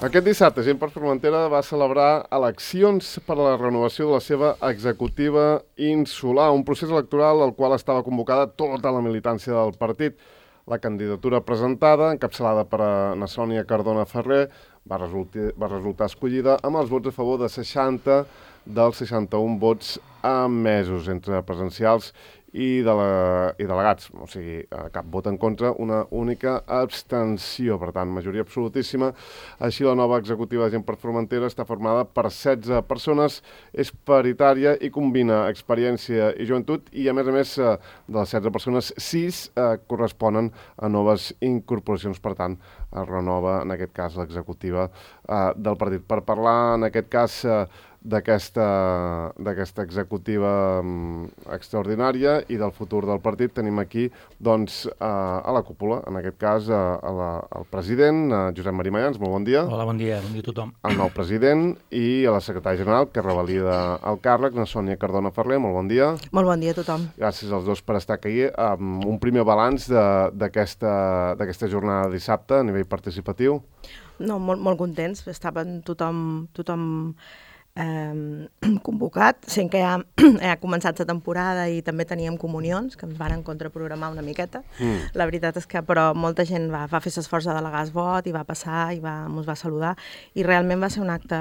Aquest dissabte, Gent per Formentera va celebrar eleccions per a la renovació de la seva executiva insular, un procés electoral al qual estava convocada tota la militància del partit. La candidatura presentada, encapçalada per na Sònia Cardona Ferrer, va resultar escollida amb els vots a favor de 60 dels 61 vots emesos entre presencials i delegats, o sigui, cap vot en contra, una única abstenció, per tant, majoria absolutíssima. Així, la nova executiva de Gent per Formentera està formada per 16 persones, és paritària i combina experiència i joventut, i a més, de les 16 persones, 6 corresponen a noves incorporacions, per tant, es renova, en aquest cas, l'executiva del partit. Per parlar, en aquest cas, d'aquesta executiva extraordinària i del futur del partit, tenim aquí doncs, a la cúpula, en aquest cas el president, Josep Maria Mayans, molt bon dia. Hola, bon dia a tothom. El nou president i a la secretària general, que revalida el càrrec, na Sònia Cardona Ferrer, molt bon dia. Molt bon dia a tothom. Gràcies als dos per estar aquí. Un primer balanç d'aquesta jornada de dissabte a nivell participatiu. No, molt contents, estaven tothom convocat, sent que ja ha començat la temporada i també teníem comunions, que ens varen contraprogramar una miqueta. La veritat és que, però, molta gent va fer l'esforç de delegar el vot i va passar i ens va saludar, i realment va ser un acte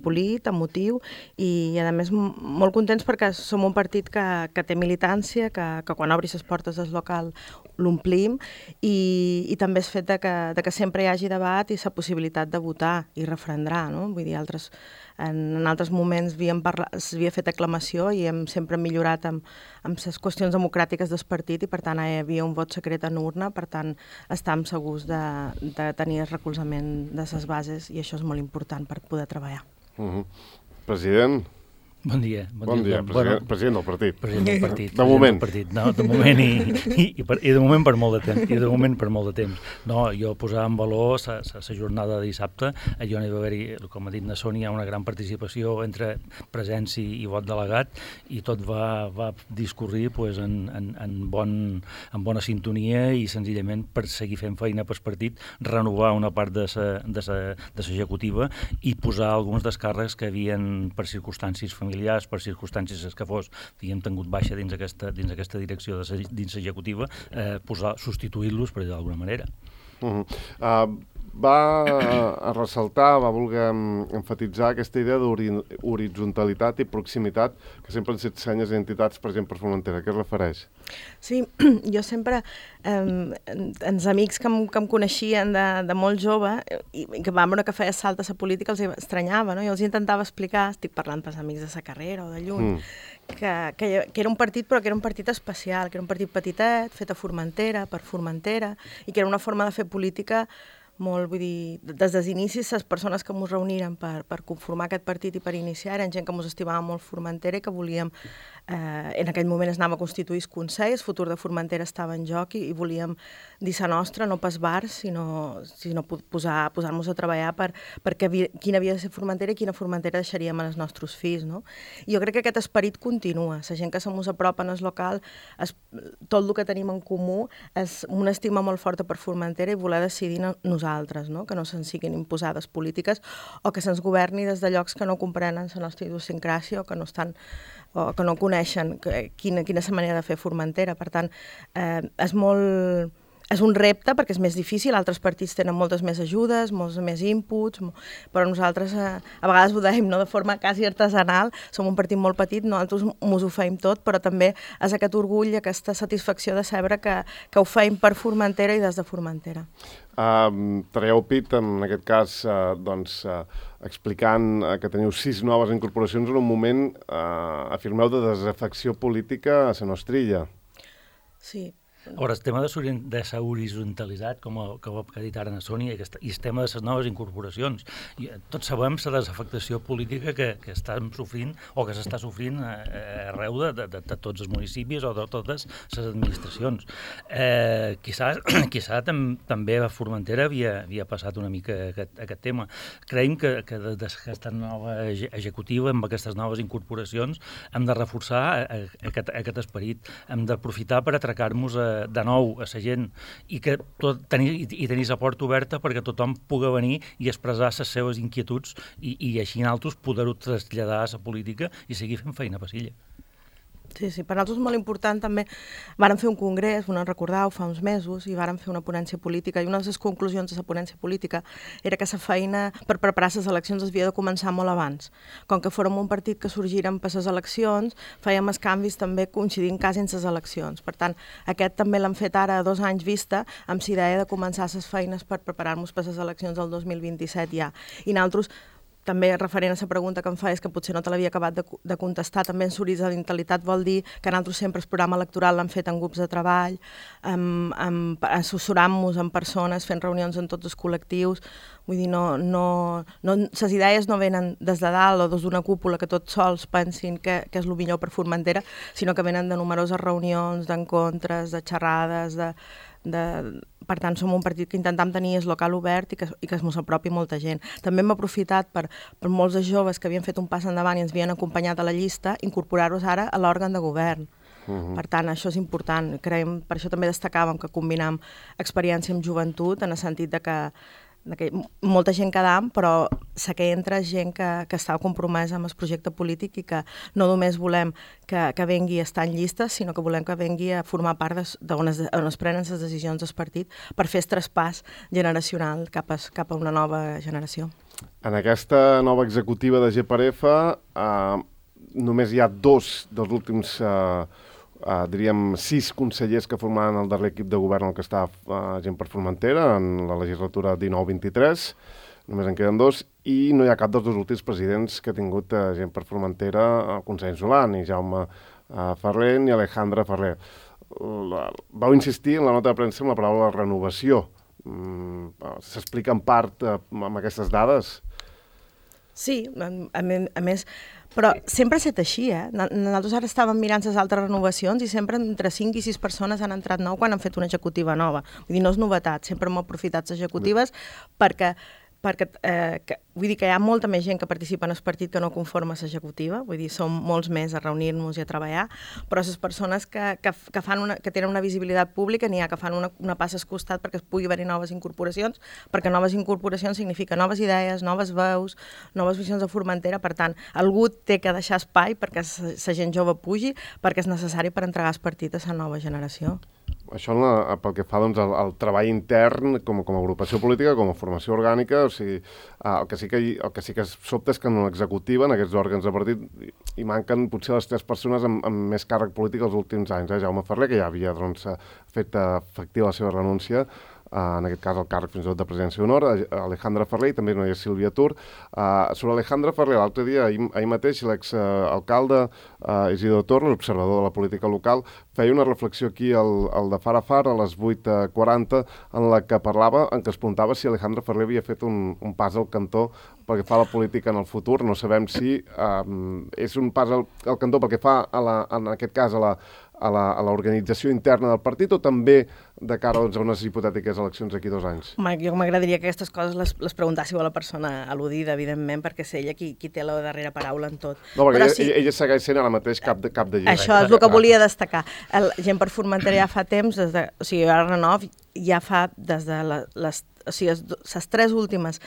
polit, emotiu, i a més molt contents perquè som un partit que té militància, que quan obri les portes del local l'omplim, i també és fet que sempre hi hagi debat i la possibilitat de votar i referendar, no? Vull dir, en altres moments s'havia fet aclamació i hem sempre millorat amb les qüestions democràtiques del partit, i per tant hi havia un vot secret en urna, per tant estàvem segurs de tenir el recolzament de les bases, i això és molt important per poder treballar. President. Bon dia. President del partit. President del partit. De moment. No, de moment i de moment per molt de temps. No, jo posava en valor la jornada de dissabte. Allò n'hi va haver-hi, com ha dit na Sònia, una gran participació entre presents i vot delegat, i tot va discorrir pues, en bona sintonia, i senzillament per seguir fent feina pel partit, renovar una part de l'executiva i posar alguns dels càrrecs que havien, per circumstàncies familiars, per circumstàncies que fos, havíem tingut baixa dins aquesta direcció dins l'executiva, substituir-los, per dir d'alguna manera. Va ressaltar, va voler emfatitzar aquesta idea d'horitzontalitat i proximitat que sempre han estat senyes d'identitats, per exemple, per Formentera. A què es refereix? Sí, jo sempre, els amics que em coneixien de molt jove i que van veure que feia salt a la política, els estranyava, no? Jo els intentava explicar, estic parlant pels amics de la carrera o de lluny, que era un partit, però que era un partit especial, que era un partit petitet, fet a Formentera, per Formentera, i que era una forma de fer política molt, vull dir, des dels inicis, les persones que ens reuniren per conformar aquest partit i per iniciar eren gent que ens estimava molt Formentera i que volíem, en aquell moment es anava a constituir el Consell, el futur de Formentera estava en joc, i volíem dir la nostra, no pas bars, sinó posar-nos a treballar perquè quina havia de ser Formentera i quina Formentera deixaríem als nostres fills, no? I jo crec que aquest esperit continua. La gent que se mos apropa en el local, tot el que tenim en comú és una estima molt forta per Formentera i voler decidir nosaltres, no? Que no se'ns siguin imposades polítiques o que se'ns governi des de llocs que no comprenen la nostra idiosincràsia o que no coneixen quina és la manera de fer Formentera. Per tant, és un repte perquè és més difícil, altres partits tenen moltes més ajudes, molts més inputs, però nosaltres a vegades ho dèiem, no? De forma quasi artesanal, som un partit molt petit, nosaltres mos ho feim tot, però també és aquest orgull, aquesta satisfacció de saber que ho feim per Formentera i des de Formentera. Traieu pit, en aquest cas, explicant que teniu 6 noves incorporacions en un moment, afirmeu, de desafecció política a la nostra illa. Sí. Ara, el tema de la horizontalitat, com ha dit ara na Sònia, i el tema de les noves incorporacions. Tots sabem la desafectació política que estem sofrint o que s'està sofrint arreu de tots els municipis o de totes les administracions. Quizà també a Formentera havia passat una mica aquest tema. Creiem que des d'aquesta nova executiva, amb aquestes noves incorporacions, hem de reforçar aquest esperit, hem d'aprofitar per atracar-nos a de nou a la gent i que tenir la porta oberta perquè tothom pugui venir i expressar les seves inquietuds i així nosaltres poder-ho traslladar a la política i seguir fent feina a Pasilla. Sí, per nosaltres és molt important també. Vàrem fer un congrés, no recordeu, fa uns mesos, i vàrem fer una ponència política, i una de les conclusions de la ponència política era que la feina per preparar les eleccions es havia de començar molt abans. Com que fórem un partit que sorgirem per les eleccions, fèiem els canvis també coincidint quasi en les eleccions. Per tant, aquest també l'hem fet ara a 2 anys vista, amb la idea de començar les feines per preparar-nos per les eleccions del 2027 ja. I nosaltres, també referent a la pregunta que em fa, és que potser no te l'havia acabat de contestar, també en horitzonalitat vol dir que nosaltres sempre el programa electoral l'hem fet en grups de treball, assessorant-nos amb persones, fent reunions en tots els col·lectius, vull dir, les idees no venen des de dalt o des d'una cúpula que tots sols pensin que és el millor per Formentera, sinó que venen de numeroses reunions, d'encontres, de xerrades, per tant, som un partit que intentem tenir el local obert i que es mos apropi molta gent. També hem aprofitat per molts de joves que havien fet un pas endavant i ens havien acompanyat a la llista, incorporar-los ara a l'òrgan de govern. Per tant, això és important. Creiem, per això també destacàvem que combinam experiència amb joventut, en el sentit de que molta gent quedam, però sé que entra gent que està compromesa amb el projecte polític i que no només volem que vengui a estar en llistes, sinó que volem que vengui a formar part d'on es prenen les decisions del partit per fer el traspàs generacional cap a una nova generació. En aquesta nova executiva de GPRF només hi ha 2 dels últims diríem 6 consellers que formaran el darrer equip de govern en el que està Gent per Formentera en la legislatura 19-23, només en queden 2, i no hi ha cap dels 2 últims presidents que ha tingut Gent per Formentera al Consell Insular, ni Jaume Ferrer ni Alejandra Ferrer. Vau insistir en la nota de premsa amb la paraula renovació. S'explica en part amb aquestes dades? Sí, a més, però sempre ha estat així, Nosaltres ara estàvem mirant les altres renovacions i sempre entre 5 i 6 persones han entrat nou quan han fet una executiva nova. Vull dir, no és novetat, sempre hem aprofitat les executives perquè vull dir que hi ha molta més gent que participa en el partit que no conforma l'executiva, vull dir, som molts més a reunir-nos i a treballar, però les persones que tenen una visibilitat pública n'hi ha que fan una passa al costat perquè es pugui haver-hi noves incorporacions, perquè noves incorporacions significa noves idees, noves veus, noves visions de Formentera, per tant, algú té que deixar espai perquè la gent jove pugi, perquè és necessari per entregar el partit a la nova generació. Això pel que fa al treball intern com a agrupació política, com a formació orgànica, o sigui, el que sí que sobta és que en l'executiva, en aquests òrgans de partit, hi manquen potser les 3 persones amb més càrrec polític els últims anys. Jaume Ferrer, que ja havia fet efectiva la seva renúncia, en aquest cas el càrrec fins i tot de presidència d'honor, Alejandra Ferrer, i també no hi ha Sílvia Tur. Sobre Alejandra Ferrer, l'altre dia, ahir mateix, l'exalcalde Isidro Torres, observador de la política local, feia una reflexió aquí al de Far a Far, a les 8:40, en la que parlava, en què es preguntava si Alejandra Ferrer havia fet un pas al cantó pel que fa a la política en el futur. No sabem si és un pas al cantó pel que fa, en aquest cas, a l'organització interna del partit o també de cara a unes hipotètiques eleccions d'aquí 2 anys? Home, jo m'agradaria que aquestes coses les preguntássiu a la persona al·ludida, evidentment, perquè és ella qui té la darrera paraula en tot. No, perquè ella segueix sent ara mateix cap de llibre. Això és el que volia destacar. Gent per Formentera ja fa temps, o sigui, ara Renov ja fa des de les 3 últimes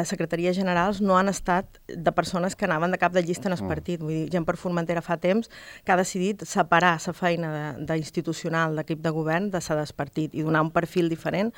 secretaries generals no han estat de persones que anaven de cap de llista en el partit. Vull dir, Gent per Formentera fa temps que ha decidit separar la feina d'institucional d'equip de govern de la del partit i donar un perfil diferent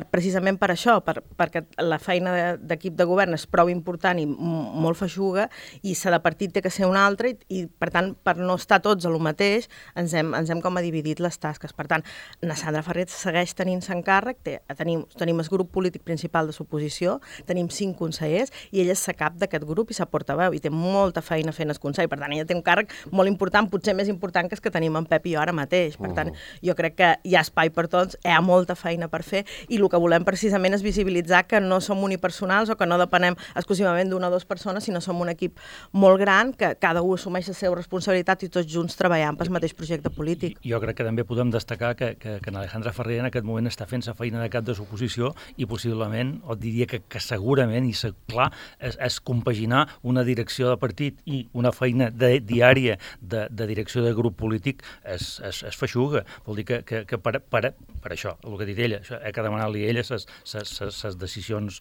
precisament per això, perquè la feina d'equip de govern és prou important i molt feixuga i la de partit té que ser una altra i per tant, per no estar tots a lo mateix, ens hem com a dividit les tasques. Per tant, na Sandra Ferrer segueix tenint-se encàrrec, tenim el grup polític principal de l'oposició, tenim 5 consellers i ella és la cap d'aquest grup i la portaveu i té molta feina fent el consell. Per tant, ella té un càrrec molt important, potser més important que el que tenim en Pep i jo ara mateix. Per tant, jo crec que hi ha espai per tots, hi ha molta feina per fer i el que volem precisament és visibilitzar que no som unipersonals o que no depenem exclusivament d'una o 2 persones, sinó som un equip molt gran, que cada un assumeix la seva responsabilitat i tots junts treballant pel mateix projecte polític. Jo crec que també podem destacar que en Alejandra Ferrer en aquest moment està fent la feina de cap de l'oposició i possiblement, o diria que segurament, i clar, és compaginar una direcció de partit i una feina diària de direcció de grup polític és feixuga. Vol dir que per això, el que ha dit ella, he que demanar-li a ella les decisions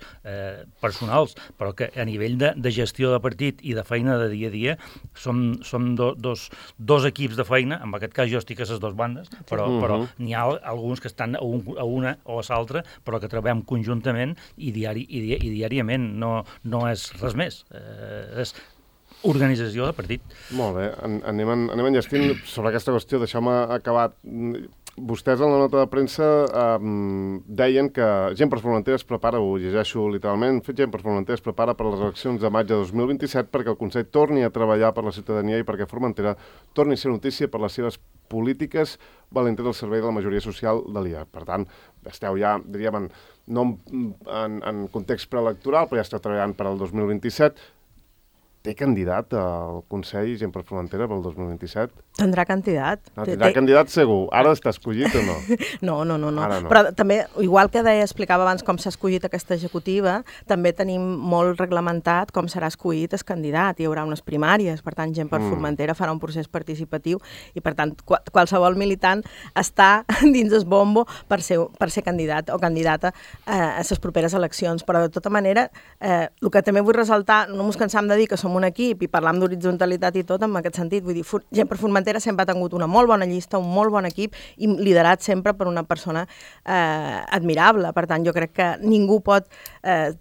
personals, però que a nivell de gestió de partit i de feina de dia a dia som dos equips de feina, en aquest cas jo estic a les dues bandes, però n'hi ha alguns que estan a una o a l'altra, però que treballem conjuntament i diàriament, no és res més, és organització de partit. Molt bé, anem enllestint sobre aquesta qüestió, deixeu-me acabar. Vostès en la nota de premsa deien que Gent per Formentera es prepara, ho llegeixo literalment, Gent per Formentera es prepara per les eleccions de maig de 2027 perquè el Consell torni a treballar per la ciutadania i perquè Formentera torni a ser notícia per les seves polítiques valentes al servei de la majoria social de l'IA. Per tant, esteu ja, diríem, no en context preelectoral, però ja esteu treballant per al 2027. Té candidat al Consell Gent per Formentera pel 2027? Tindrà candidat. No, tindrà candidat segur. Ara està escollit o no? No. Ara no. Però també, igual que explicava abans com s'ha escollit aquesta executiva, també tenim molt reglamentat com serà escollit el candidat. Hi haurà unes primàries, per tant, Gent per Formentera farà un procés participatiu i, per tant, qualsevol militant està dins el bombo per ser candidat o candidata a les properes eleccions. Però, de tota manera, el que també vull ressaltar, no ens cansam de dir que som un equip i parlam d'horitzontalitat i tot en aquest sentit. Vull dir, Gent per Formentera sempre ha tingut una molt bona llista, un molt bon equip i liderat sempre per una persona admirable. Per tant, jo crec que ningú pot...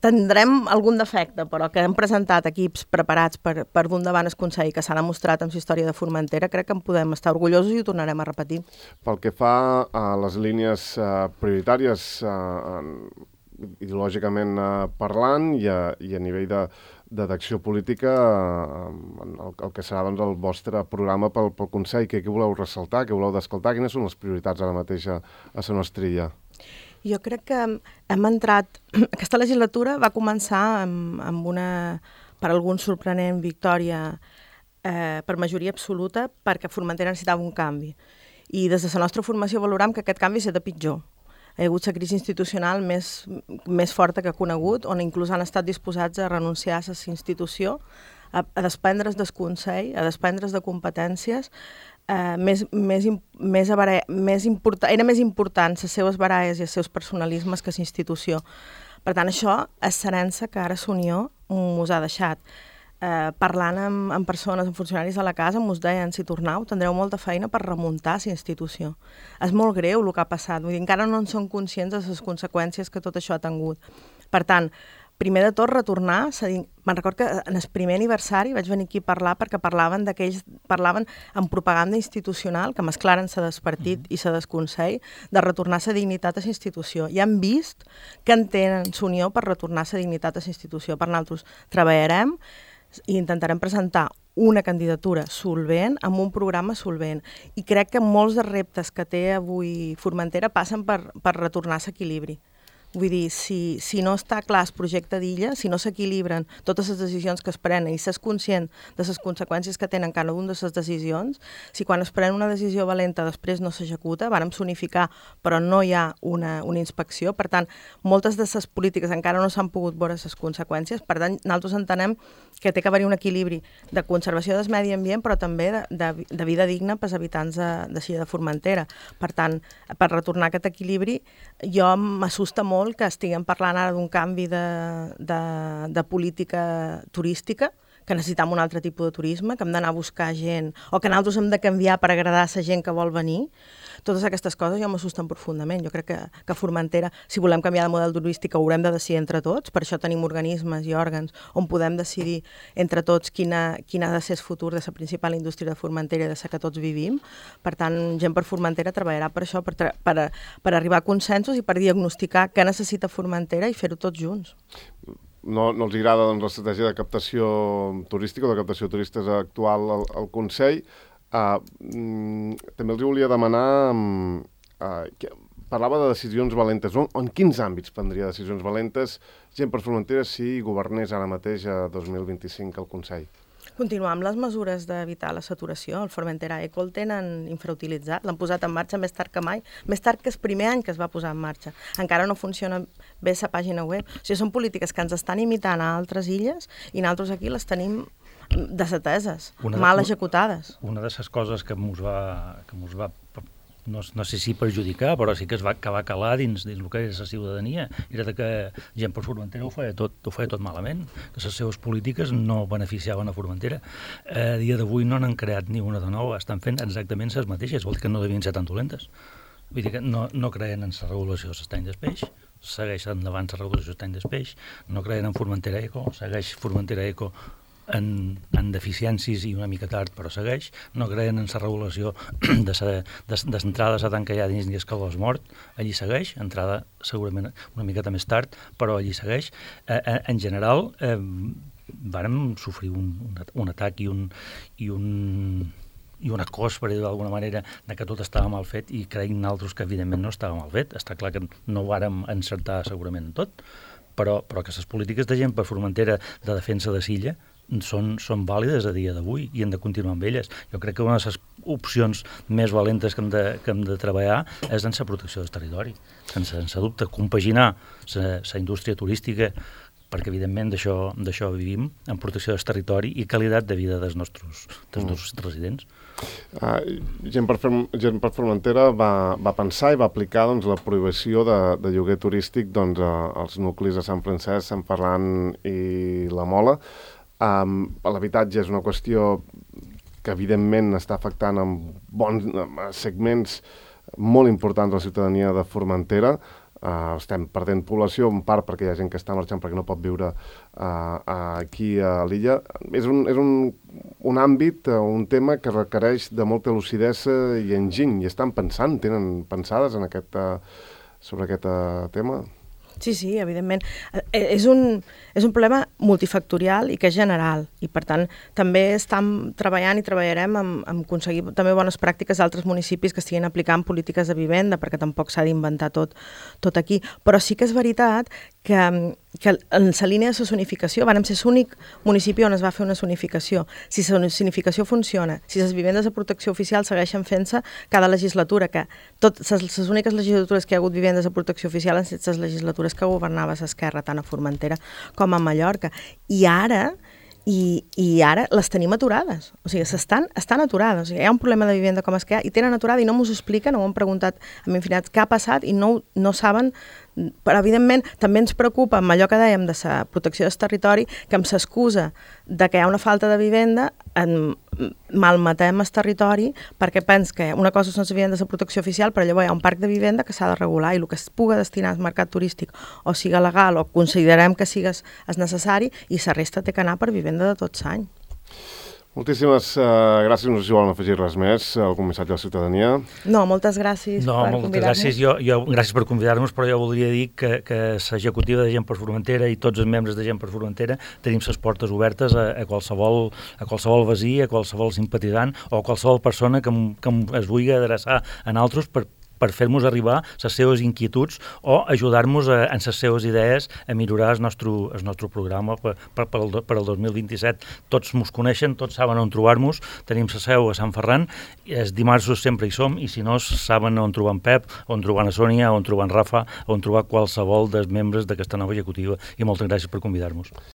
tindrem algun defecte, però que hem presentat equips preparats per dur endavant el Consell, que s'ha demostrat amb la història de Formentera, crec que en podem estar orgullosos i ho tornarem a repetir. Pel que fa a les línies prioritàries ideològicament parlant i a nivell d'acció política, el que serà doncs, el vostre programa pel Consell, què voleu ressaltar, què voleu descoltar, quines són les prioritats ara mateix a la nostra illa? Jo crec que hem entrat... Aquesta legislatura va començar amb una, per alguns, sorprenent victòria per majoria absoluta perquè Formentera necessitava un canvi. I des de la nostra formació valorem que aquest canvi serà pitjor. Hi ha hagut la crisi institucional més forta que ha conegut, on inclús han estat disposats a renunciar a la institució, a desprendre's del Consell, a desprendre's de competències. Era més important les seves baralles i els seus personalismes que la institució. Per tant, això és l'herència que ara l'Unió us ha deixat. Parlant amb persones, amb funcionaris de la casa, ens deien, si tornau, tindreu molta feina per remuntar la institució. És molt greu el que ha passat, vull dir, encara no en són conscients de les conseqüències que tot això ha tingut. Per tant, primer de tot, retornar, me'n recordo que en el primer aniversari vaig venir aquí a parlar perquè parlaven en propaganda institucional, que mesclaren la del partit i la del Consell, de retornar la dignitat a la institució. I han vist que entenen l'Unió per retornar la dignitat a la institució. Per nosaltres treballarem i intentarem presentar una candidatura solvent amb un programa solvent. I crec que molts dels reptes que té avui Formentera passen per retornar l'equilibri. Vull dir, si no està clar el projecte d'illa, si no s'equilibren totes les decisions que es prenen i s'és conscient de les conseqüències que tenen cada una de les decisions, si quan es pren una decisió valenta després no s'executa, vàrem sonificar, però no hi ha una inspecció. Per tant, moltes de les polítiques encara no s'han pogut veure les conseqüències. Per tant, nosaltres entenem que té que haver un equilibri de conservació del medi ambient, però també de vida digna pels habitants de Formentera. Per tant, per retornar aquest equilibri, jo m'assusta molt que estiguem parlant ara d'un canvi de política turística, que necessitem un altre tipus de turisme, que hem d'anar a buscar gent, o que nosaltres hem de canviar per agradar a la gent que vol venir. Totes aquestes coses ja m'assusten profundament. Jo crec que Formentera, si volem canviar de model turístic, ho haurem de decidir entre tots. Per això tenim organismes i òrgans on podem decidir entre tots quin ha de ser el futur de la principal indústria de Formentera i de la que tots vivim. Per tant, Gent per Formentera treballarà per això, per arribar a consensos i per diagnosticar què necessita Formentera i fer-ho tots junts. No els agrada doncs, l'estratègia de captació turística o de captació de turistes actual al Consell. També els volia demanar... parlava de decisions valentes. En quins àmbits prendria decisions valentes Gent per Formentera si governés ara mateix a 2025 al Consell? Continuar amb les mesures d'evitar la saturació. El Formentera Eco el tenen infrautilitzat, l'han posat en marxa més tard que mai, més tard que el primer any que es va posar en marxa. Encara no funciona bé la pàgina web. O sigui, són polítiques que ens estan imitant a altres illes i nosaltres aquí les tenim desateses, mal executades. Una de les coses que mos va no sé si perjudicar, però sí que va calar dins el que era la ciutadania, era que gent per Formentera ho feia tot malament, que les seves polítiques no beneficiaven a Formentera. A dia d'avui no n'han creat ni una de nova, estan fent exactament les mateixes, vol dir que no devien ser tan dolentes. Vull dir que no creen en la regulació de l'estany del peix, segueix endavant la regulació de l'estany del peix, no creen en Formentera Eco, segueix Formentera Eco en deficiències i una mica tard, però segueix, no creen en la regulació d'entrada a tanca ja dins dies que l'os mort, allí segueix, entrada segurament una miqueta més tard, però allí segueix. En general, vàrem sofrir un atac i un acòs, per dir-ho d'alguna manera, que tot estava mal fet i creiem nosaltres que evidentment no estava mal fet. Està clar que no ho vàrem encertar segurament en tot, però que les polítiques de gent per Formentera de defensa de l'illa són vàlides a dia d'avui i hem de continuar amb elles. Jo crec que una de les opcions més valentes que hem de treballar és en la protecció del territori. Sense dubte, compaginar la indústria turística, perquè evidentment d'això vivim, en protecció del territori i qualitat de vida dels nostres residents. Gent per Formentera va pensar i va aplicar la prohibició de lloguer turístic als nuclis de Sant Francesc, Sant Ferran i la Mola. L'habitatge és una qüestió que evidentment està afectant amb bons segments molt importants de la ciutadania de Formentera. Estem perdent població, en part perquè hi ha gent que està marxant perquè no pot viure aquí a l'illa. És un àmbit, un tema que requereix de molta lucidesa i enginy. I estan pensant, tenen pensades sobre aquest tema? Sí, evidentment. És un problema multifactorial i que és general i, per tant, també estem treballant i treballarem en aconseguir també bones pràctiques d'altres municipis que estiguin aplicant polítiques de vivenda, perquè tampoc s'ha d'inventar tot aquí. Però sí que és veritat que en la línia de la zonificació vam ser l'únic municipi on es va fer una zonificació. Si la zonificació funciona, si les vivendes de protecció oficial segueixen fent-se cada legislatura, que les úniques legislatures que hi ha hagut vivendes de protecció oficial han estat les legislatures que governava l'Esquerra, tant a Formentera com a Mallorca. I ara les tenim aturades. O sigui, estan aturades. O sigui, hi ha un problema de vivenda com és que hi ha, i tenen aturada i no m'ho expliquen, ho han preguntat amb infinitat què ha passat i no saben. Però, evidentment, també ens preocupa, amb allò que dèiem de la protecció del territori, que amb l'excusa de que hi ha una falta de vivenda, malmetem el territori perquè pens que una cosa són les vivendes de protecció oficial, però llavors hi ha un parc de vivenda que s'ha de regular i el que es pugui destinar al mercat turístic o siga legal o considerem que siga necessari i la resta té que anar per vivenda de tot l'any. Moltíssimes gràcies. No sé si volen afegir res més, algun missatge a la ciutadania. No, moltes gràcies per convidar-nos. Gràcies. Gràcies per convidar-nos, però jo voldria dir que l'executiva de Gent per Formentera i tots els membres de Gent per Formentera tenim les portes obertes a qualsevol veí, a qualsevol simpatitzant o a qualsevol persona que es vulgui adreçar a nosaltres per fer-nos arribar les seves inquietuds o ajudar-nos en les seves idees a millorar el nostre programa per al 2027. Tots mos coneixen, tots saben on trobar-nos, tenim la seu a Sant Ferran, els dimarts sempre hi som i si no saben on trobar en Pep, on trobar en Sònia, on trobar en Rafa, on trobar qualsevol dels membres d'aquesta nova executiva i moltes gràcies per convidar-nos.